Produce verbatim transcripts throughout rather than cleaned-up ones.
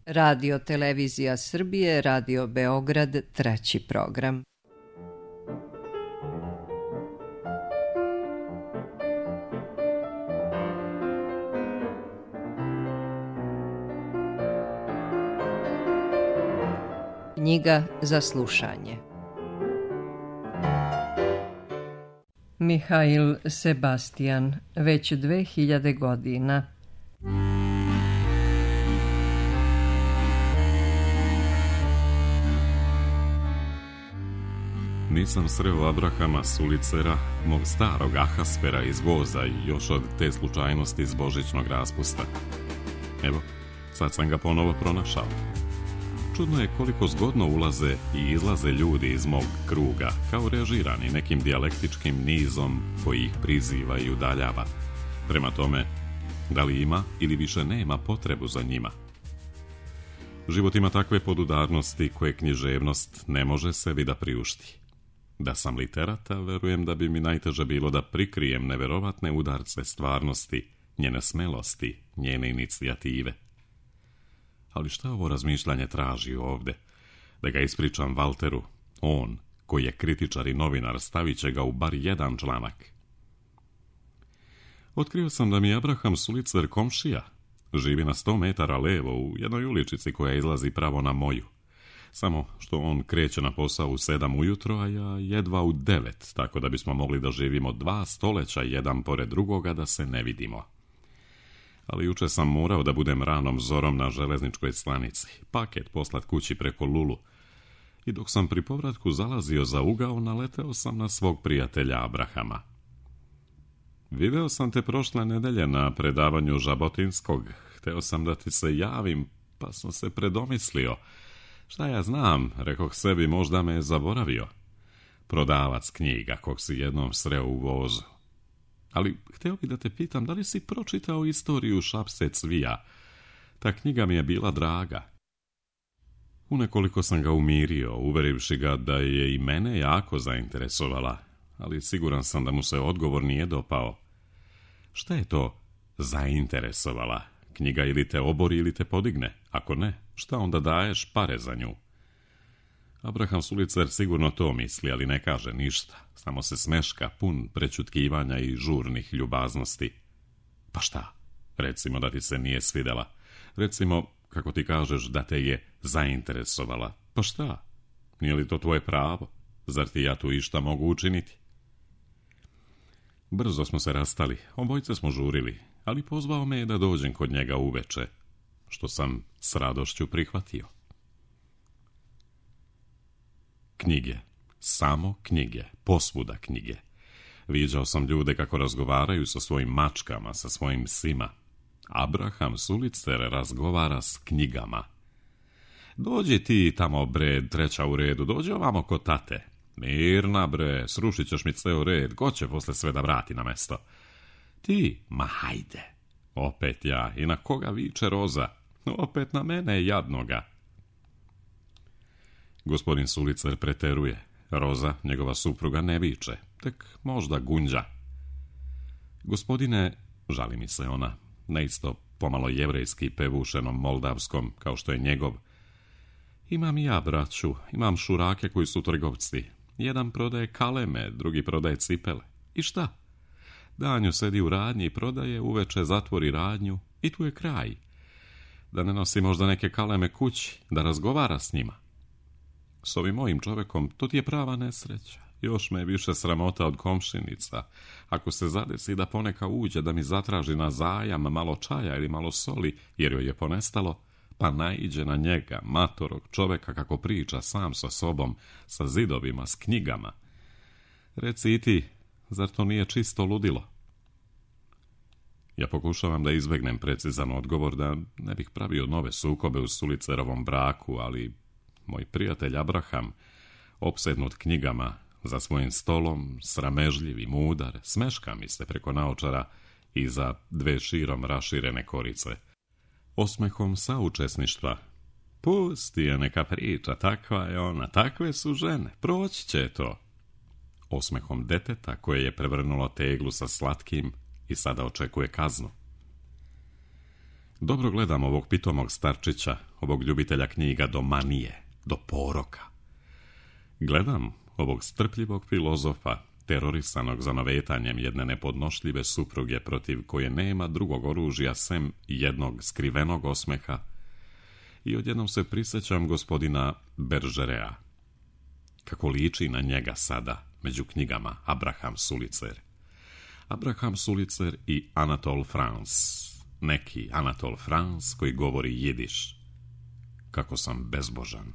Radio Televizija Srbije, Radio Beograd, treći program. Knjiga za slušanje. Mihail Sebastian, već dve hiljade godina. Nisam sreo Abrahama Sulicera, mog starog Ahasfera iz voza i još od te slučajnosti iz božićnog raspusta. Evo, sad sam ga ponovo pronašao. Čudno je koliko zgodno ulaze i izlaze ljudi iz mog kruga, kao režirani nekim dijalektičkim nizom koji ih priziva i udaljava. Prema tome, da li ima ili više nema potrebu za njima? Život ima takve podudarnosti koje književnost ne može sebi da priušti. Da sam literata, verujem da bi mi najteže bilo da prikrijem neverovatne udarce stvarnosti, njene smelosti, njene inicijative. Ali šta ovo razmišljanje traži ovde? Da ga ispričam Valteru, on, koji je kritičar i novinar, stavit će ga u bar jedan članak. Otkrio sam da mi Abraham Sulicer komšija. Živi na sto metara levo u jednoj uličici koja izlazi pravo na moju. Samo što on kreće na posao u sedam ujutro, a ja jedva u devet, tako da bismo mogli da živimo dva stoleća jedan pored drugoga da se ne vidimo. Ali juče sam morao da budem ranom zorom na železničkoj stanici, paket poslat kući preko Lulu. I dok sam pri povratku zalazio za ugao, naleteo sam na svog prijatelja Abrahama. Video sam te prošle nedelje na predavanju Žabotinskog. Hteo sam da ti se javim, pa sam se predomislio. Šta ja znam, rekoh sebi, možda me je zaboravio. Prodavac knjiga, kog si jednom sreo u vozu. Ali hteo bi da te pitam, da li si pročitao istoriju Šapse Cvija? Ta knjiga mi je bila draga. Unekoliko sam ga umirio, uverivši ga da je i mene jako zainteresovala, ali siguran sam da mu se odgovor nije dopao. Šta je to zainteresovala? Knjiga ili te obori ili te podigne. Ako ne, šta onda daješ pare za nju? Abraham Sulicer sigurno to misli, ali ne kaže ništa. Samo se smeška, pun prećutkivanja i žurnih ljubaznosti. Pa šta? Recimo da ti se nije svidela. Recimo, kako ti kažeš, da te je zainteresovala. Pa šta? Nije li to tvoje pravo? Zar ti ja tu išta mogu učiniti? Brzo smo se rastali, obojce smo žurili, ali pozvao me je da dođem kod njega uveče, što sam s radošću prihvatio. Knjige, samo knjige, posvuda knjige. Viđao sam ljude kako razgovaraju sa svojim mačkama, sa svojim psima. Abraham Sulicer razgovara s knjigama. Dođi ti tamo, bre, treća u redu, dođi ovamo kod tate. Mirna, bre, srušit ćeš mi ceo red, ko će posle sve da vrati na mesto? Ti, ma hajde. Opet ja, i na koga viče Roza? Opet na mene jadnoga. Gospodin Sulicer preteruje. Roza, njegova supruga, ne viče, tek možda gunđa. Gospodine, žali mi se ona, neisto pomalo jevrejski pevušenom moldavskom, kao što je njegov. Imam i ja braću, imam šurake koji su trgovci. Jedan prodaje kaleme, drugi prodaje cipele. I šta? Danju sedi u radnji i prodaje, uveče zatvori radnju i tu je kraj. Da ne nosi možda neke kaleme kući, da razgovara s njima. S ovim mojim čovekom to ti je prava nesreća. Još me je više sramota od komšinica. Ako se zadesi da poneka uđe da mi zatraži na zajam malo čaja ili malo soli, jer joj je ponestalo, pa naiđe na njega, matorog čoveka kako priča sam sa sobom, sa zidovima, s knjigama. Reci i ti, zar to nije čisto ludilo? Ja pokušavam da izbegnem precizan odgovor, da ne bih pravio nove sukobe u Sulicerovom braku, ali moj prijatelj Abraham, opsednut knjigama, za svojim stolom, sramežljiv i mudar, smeška mi se preko naočara i za dve širom raširene korice. Osmehom saučesništva. Pusti je neka priča, takva je ona, takve su žene, proći će to. Osmehom deteta koje je prevrnulo teglu sa slatkim i sada očekuje kaznu. Dobro gledam ovog pitomog starčića, ovog ljubitelja knjiga do manije, do poroka. Gledam ovog strpljivog filozofa, terorisanog zanovetanjem jedne nepodnošljive supruge protiv koje nema drugog oružja sem jednog skrivenog osmeha, i odjednom se prisjećam gospodina Beržerea. Kako liči na njega sada među knjigama Abraham Sulicer. Abraham Sulicer i Anatole France. Neki Anatole France koji govori jidiš. Kako sam bezbožan.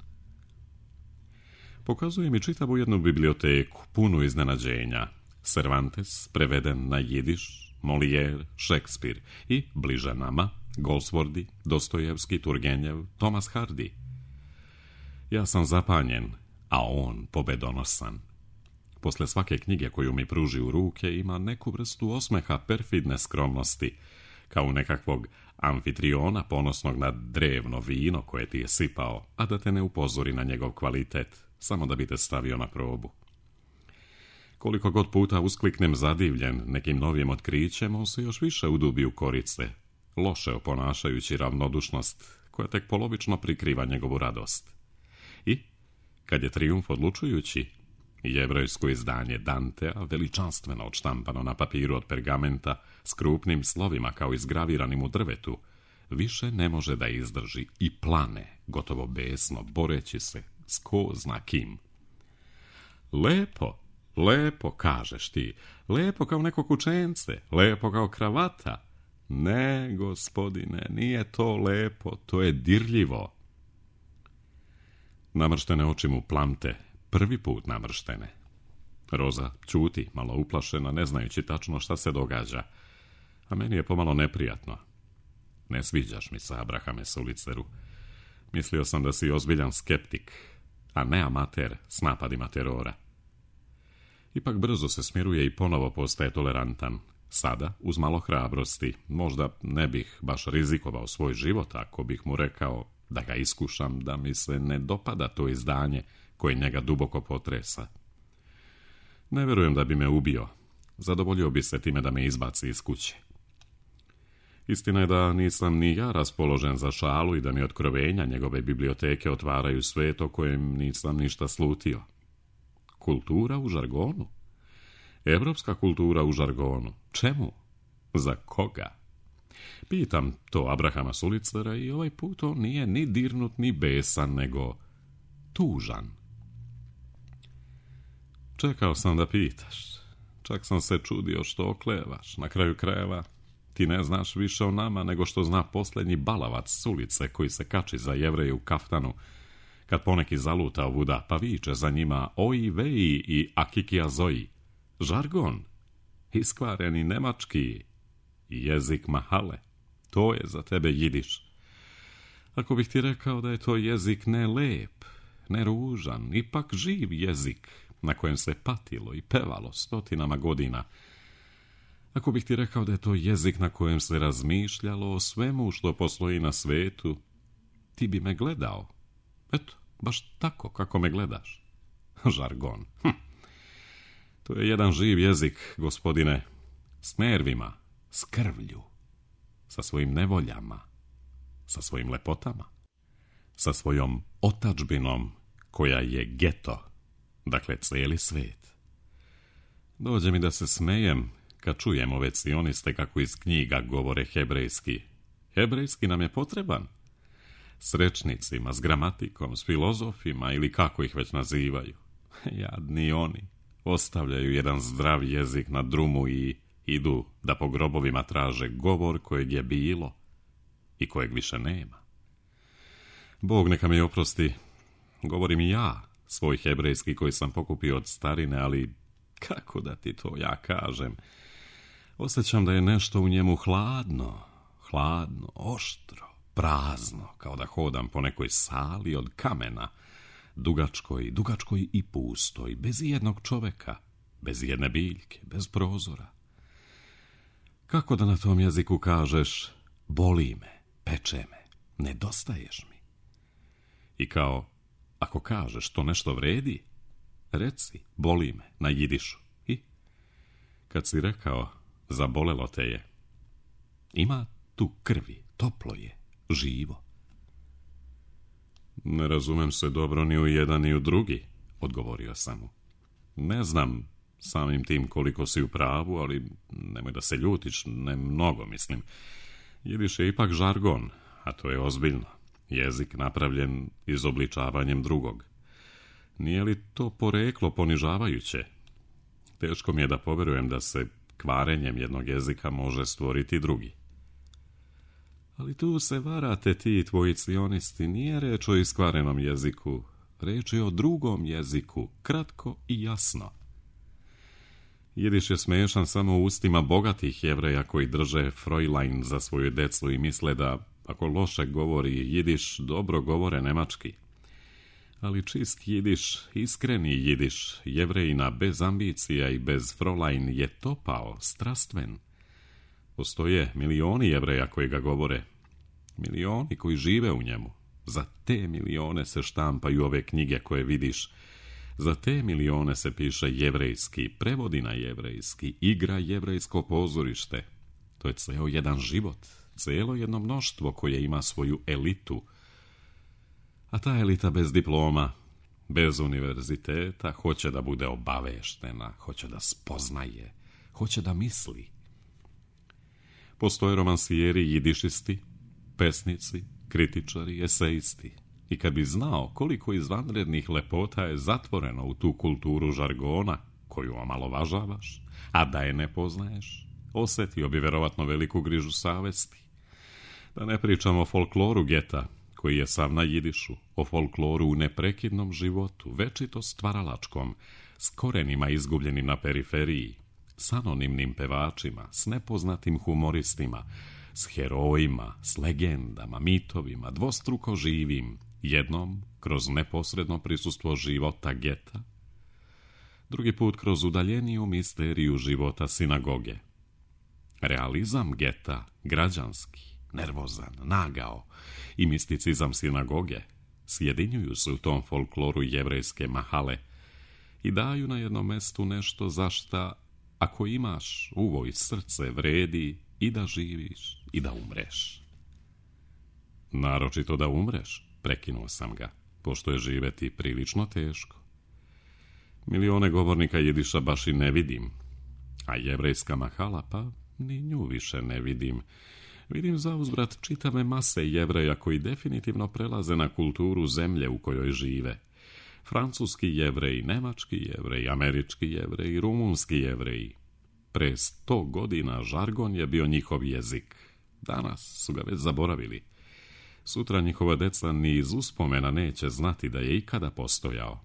Pokazuje mi čitavu jednu biblioteku, punu iznenađenja. Cervantes, preveden na jidiš, Molière, Šekspir i, bliže nama, Goldsworthy, Dostojevski, Turgenjev, Thomas Hardy. Ja sam zapanjen, a on pobedonosan. Posle svake knjige koju mi pruži u ruke ima neku vrstu osmeha perfidne skromnosti, kao nekakvog amfitriona ponosnog na drevno vino koje ti je sipao, a da te ne upozori na njegov kvalitet, samo da bi te stavio na probu. Koliko god puta uskliknem zadivljen nekim novim otkrićem, on se još više udubi u korice, loše oponašajući ravnodušnost koja tek polovično prikriva njegovu radost. I, kad je trijumf odlučujući, jevrejsko izdanje Dantea, veličanstveno odštampano na papiru od pergamenta, s krupnim slovima kao izgraviranim u drvetu, više ne može da izdrži i plane, gotovo besno, boreći se s ko zna kim. Lepo, lepo, kažeš ti, lepo kao neko kućence, lepo kao kravata. Ne, gospodine, nije to lepo, to je dirljivo. Namrštene oči mu plamte, prvi put namrštene. Roza ćuti, malo uplašena, ne znajući tačno šta se događa, a meni je pomalo neprijatno. Ne sviđaš mi se, Abrahame Suliceru. Mislio sam da si ozbiljan skeptik, a ne amater s napadima terora. Ipak brzo se smiruje i ponovo postaje tolerantan. Sada, uz malo hrabrosti, možda ne bih baš rizikovao svoj život ako bih mu rekao da ga iskušam, da mi se ne dopada to izdanje koje njega duboko potresa. Ne vjerujem da bi me ubio. Zadovoljio bi se time da me izbaci iz kuće. Istina je da nisam ni ja raspoložen za šalu i da mi otkrovenja njegove biblioteke otvaraju svet o kojem nisam ništa slutio. Kultura u žargonu? Evropska kultura u žargonu. Čemu? Za koga? Pitam to Abrahama Sulicera i ovaj put on nije ni dirnut ni besan, nego tužan. Čekao sam da pitaš. Čak sam se čudio što oklevaš. Na kraju krajeva ti ne znaš više o nama nego što zna posljednji balavac s ulice koji se kači za Jevreje u kaftanu kad poneki zaluta ovuda pa viče za njima oji veji i akikija zoji. Žargon, iskvareni nemački, jezik mahale, to je za tebe jidiš. Ako bih ti rekao da je to jezik ne lep, ne ružan, ipak živ jezik na kojem se patilo i pevalo stotinama godina, ako bih ti rekao da je to jezik na kojem se razmišljalo o svemu što postoji na svetu, ti bi me gledao. Eto, baš tako kako me gledaš. Žargon. Hm. To je jedan živ jezik, gospodine, s nervima, s krvlju, sa svojim nevoljama, sa svojim lepotama, sa svojom otadžbinom koja je geto, dakle cijeli svet. Dođe mi da se smejem kad čujem ove cioniste kako iz knjiga govore hebrejski. Hebrejski nam je potreban. S rečnicima, s gramatikom, s filozofima ili kako ih već nazivaju. Jadni oni. Ostavljaju jedan zdrav jezik na drumu i idu da po grobovima traže govor kojeg je bilo i kojeg više nema. Bog neka mi oprosti, govorim i ja, svoj hebrejski koji sam pokupio od starine, ali kako da ti to ja kažem? Osjećam da je nešto u njemu hladno, hladno, oštro, prazno, kao da hodam po nekoj sali od kamena, dugačkoj, dugačkoj i pustoj, bez jednog čoveka, bez jedne biljke, bez prozora. Kako da na tom jeziku kažeš, boli me, peče me, nedostaješ mi? I kao, ako kažeš to nešto vredi, reci, boli me, na jidišu. I kad si rekao, zabolelo te je, ima tu krvi, toplo je, živo. Ne razumem se dobro ni u jedan ni u drugi, odgovorio sam mu. Ne znam samim tim koliko si u pravu, ali nemoj da se ljutiš, ne mnogo mislim. Jidiš je ipak žargon, a to je ozbiljno. Jezik napravljen izobličavanjem drugog. Nije li to poreklo ponižavajuće? Teško mi je da poverujem da se kvarenjem jednog jezika može stvoriti drugi. Ali tu se varate ti tvoji cionisti, nije reč o iskvarenom jeziku, reč je o drugom jeziku, kratko i jasno. Jidiš je smešan samo u ustima bogatih Jevreja koji drže Fräulein za svoju decu i misle da ako loše govori jidiš, dobro govore nemački. Ali čist jidiš, iskreni jidiš, Jevrejina bez ambicija i bez Fräulein je topao, strastven. Postoje milioni Jevreja koji ga govore, milioni koji žive u njemu. Za te milione se štampaju ove knjige koje vidiš. Za te milione se piše jevrejski, prevodi na jevrejski, igra jevrejsko pozorište. To je ceo jedan život, celo jedno mnoštvo koje ima svoju elitu. A ta elita bez diploma, bez univerziteta, hoće da bude obaveštena, hoće da spoznaje, hoće da misli. Postoje romansijeri, jidišisti, pesnici, kritičari, esejisti. I kad bi znao koliko izvanrednih lepota je zatvoreno u tu kulturu žargona, koju omalovažavaš, a da je ne poznaješ, osjetio bi verovatno veliku grižu savesti. Da ne pričamo o folkloru geta, koji je sav na jidišu, o folkloru u neprekidnom životu, večito stvaralačkom, s korenima izgubljenim na periferiji, s anonimnim pevačima, s nepoznatim humoristima, s herojima, s legendama, mitovima, dvostruko živim, jednom kroz neposredno prisustvo života geta, drugi put kroz udaljeniju misteriju života sinagoge. Realizam geta, građanski, nervozan, nagao, i misticizam sinagoge sjedinjuju se u tom folkloru jevrejske mahale i daju na jednom mestu nešto za šta, ako imaš uvo i srce, vredi i da živiš i da umreš. Naročito da umreš, prekinuo sam ga, pošto je živeti prilično teško. Milione govornika jidiša baš i ne vidim, a jevrejska mahala, pa ni nju više ne vidim. Vidim zauzvrat čitave mase Jevreja koji definitivno prelaze na kulturu zemlje u kojoj žive. Francuski Jevreji, nemački Jevreji, američki Jevreji, rumunski Jevreji. Pre sto godina žargon je bio njihov jezik. Danas su ga već zaboravili. Sutra njihova deca ni iz uspomena neće znati da je ikada postojao.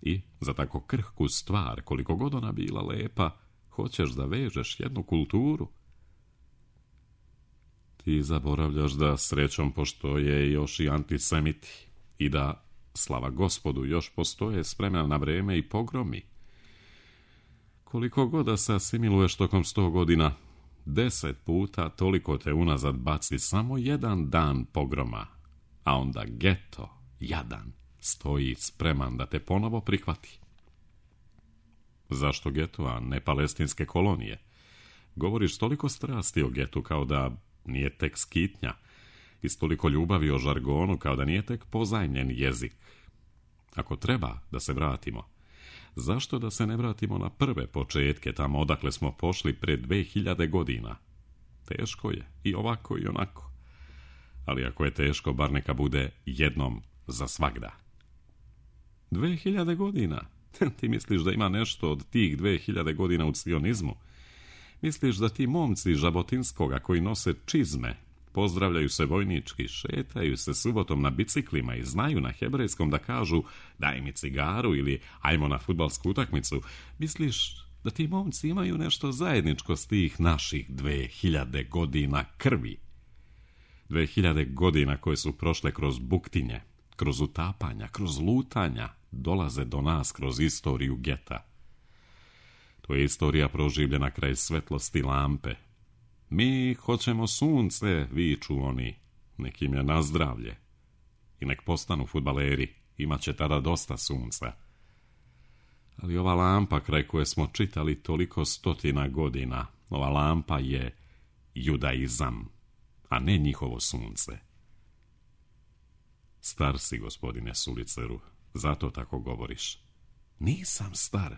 I za tako krhku stvar, koliko god ona bila lepa, hoćeš da vežeš jednu kulturu. Ti zaboravljaš da srećom postoje još i antisemiti i da, slava Gospodu, još postoje spremna na vreme i pogromi. Koliko god da se asimiluješ tokom sto godina, deset puta toliko te unazad baci samo jedan dan pogroma, a onda geto, jadan, stoji spreman da te ponovo prihvati. Zašto geto, a ne palestinske kolonije? Govoriš toliko strasti o getu kao da nije tek skitnja, i s toliko ljubavi o žargonu kao da nije tek pozajmljen jezik. Ako treba da se vratimo, zašto da se ne vratimo na prve početke, tamo odakle smo pošli pre dve hiljade godina? Teško je, i ovako i onako. Ali ako je teško, bar neka bude jednom za svagda. Dve hiljade godina? Ti misliš da ima nešto od tih dve hiljade godina u cionizmu? Misliš da ti momci Žabotinskoga koji nose čizme, pozdravljaju se vojnički, šetaju se subotom na biciklima i znaju na hebrejskom da kažu daj mi cigaru ili ajmo na fudbalsku utakmicu, misliš da ti momci imaju nešto zajedničko s tih naših dve hiljade godina krvi? Dve hiljade godina koje su prošle kroz buktinje, kroz utapanja, kroz lutanja, dolaze do nas kroz istoriju geta. To je istorija proživljena kraj svetlosti lampe. Mi hoćemo sunce, viču oni, nekim je na zdravlje. I nek postanu fudbaleri, imat će tada dosta sunca. Ali ova lampa kraj koje smo čitali toliko stotina godina, ova lampa je judaizam. a ne njihovo sunce. Star si, gospodine Suliceru, zato tako govoriš. Nisam star,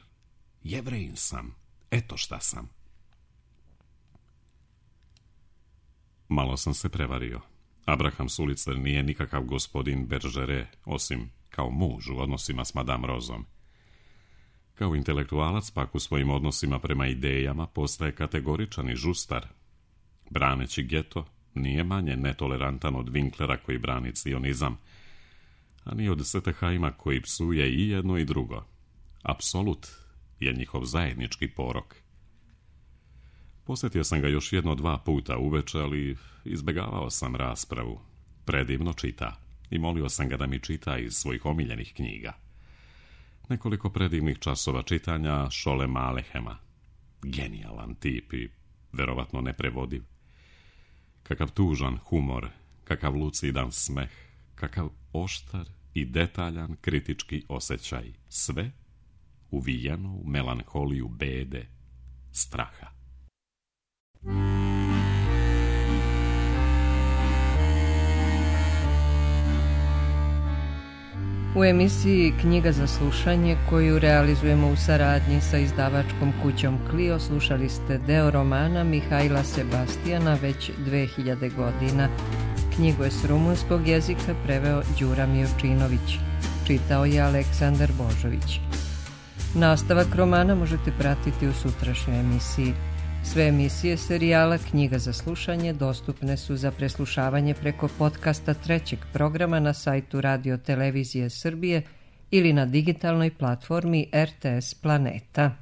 Jevrejin sam, eto šta sam. Malo sam se prevario. Abraham Sulicer nije nikakav gospodin Bergeret, osim kao muž u odnosima s Madame Rozom. Kao intelektualac pak u svojim odnosima prema idejama postaje kategoričan i žustar. Braneći geto, nije manje netolerantan od Winklera koji brani cionizam, a ni od Setteheima koji psuje i jedno i drugo. Apsolut je njihov zajednički porok. Posjetio sam ga još jedno dva puta uveče, ali izbjegavao sam raspravu. Predivno čita i molio sam ga da mi čita iz svojih omiljenih knjiga. Nekoliko predivnih časova čitanja Šolema Alehema. Genijalan tip i verovatno neprevodiv. Kakav tužan humor, kakav lucidan smeh, kakav oštar i detaljan kritički osjećaj. Sve uvijeno u melanholiju bede, straha. U emisiji Knjiga za slušanje, koju realizujemo u saradnji sa izdavačkom kućom Clio, slušali ste deo romana Mihajla Sebastijana već dve hiljade godina. Knjigu je s rumunskog jezika preveo Đura Mijovčinović. Čitao je Aleksandar Božović. Nastavak romana možete pratiti u sutrašnjoj emisiji. Sve emisije serijala Knjiga za slušanje dostupne su za preslušavanje preko podcasta trećeg programa na sajtu Radio Televizije Srbije ili na digitalnoj platformi R T S Planeta.